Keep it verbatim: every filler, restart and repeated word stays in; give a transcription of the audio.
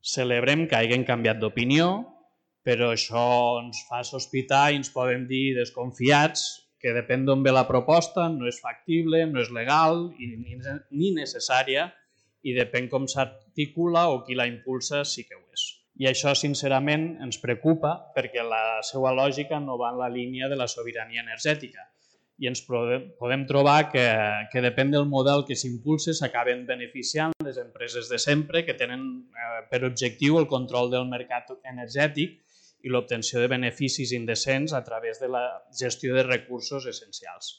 Celebrem que hagin canviat d'opinió, però això ens fa sospitar i ens podem dir desconfiats que depèn d'on ve la proposta, no és factible, no és legal ni necessària i depèn com s'articula o qui la impulsa sí que ho és. I això, sincerament, ens preocupa perquè la seva lògica no va en la línia de la sobirania energètica i ens podem trobar que, que depèn del model que s'impulsa s'acaben beneficiant les empreses de sempre que tenen eh, per objectiu el control del mercat energètic i l'obtenció de beneficis indecents a través de la gestió de recursos essencials.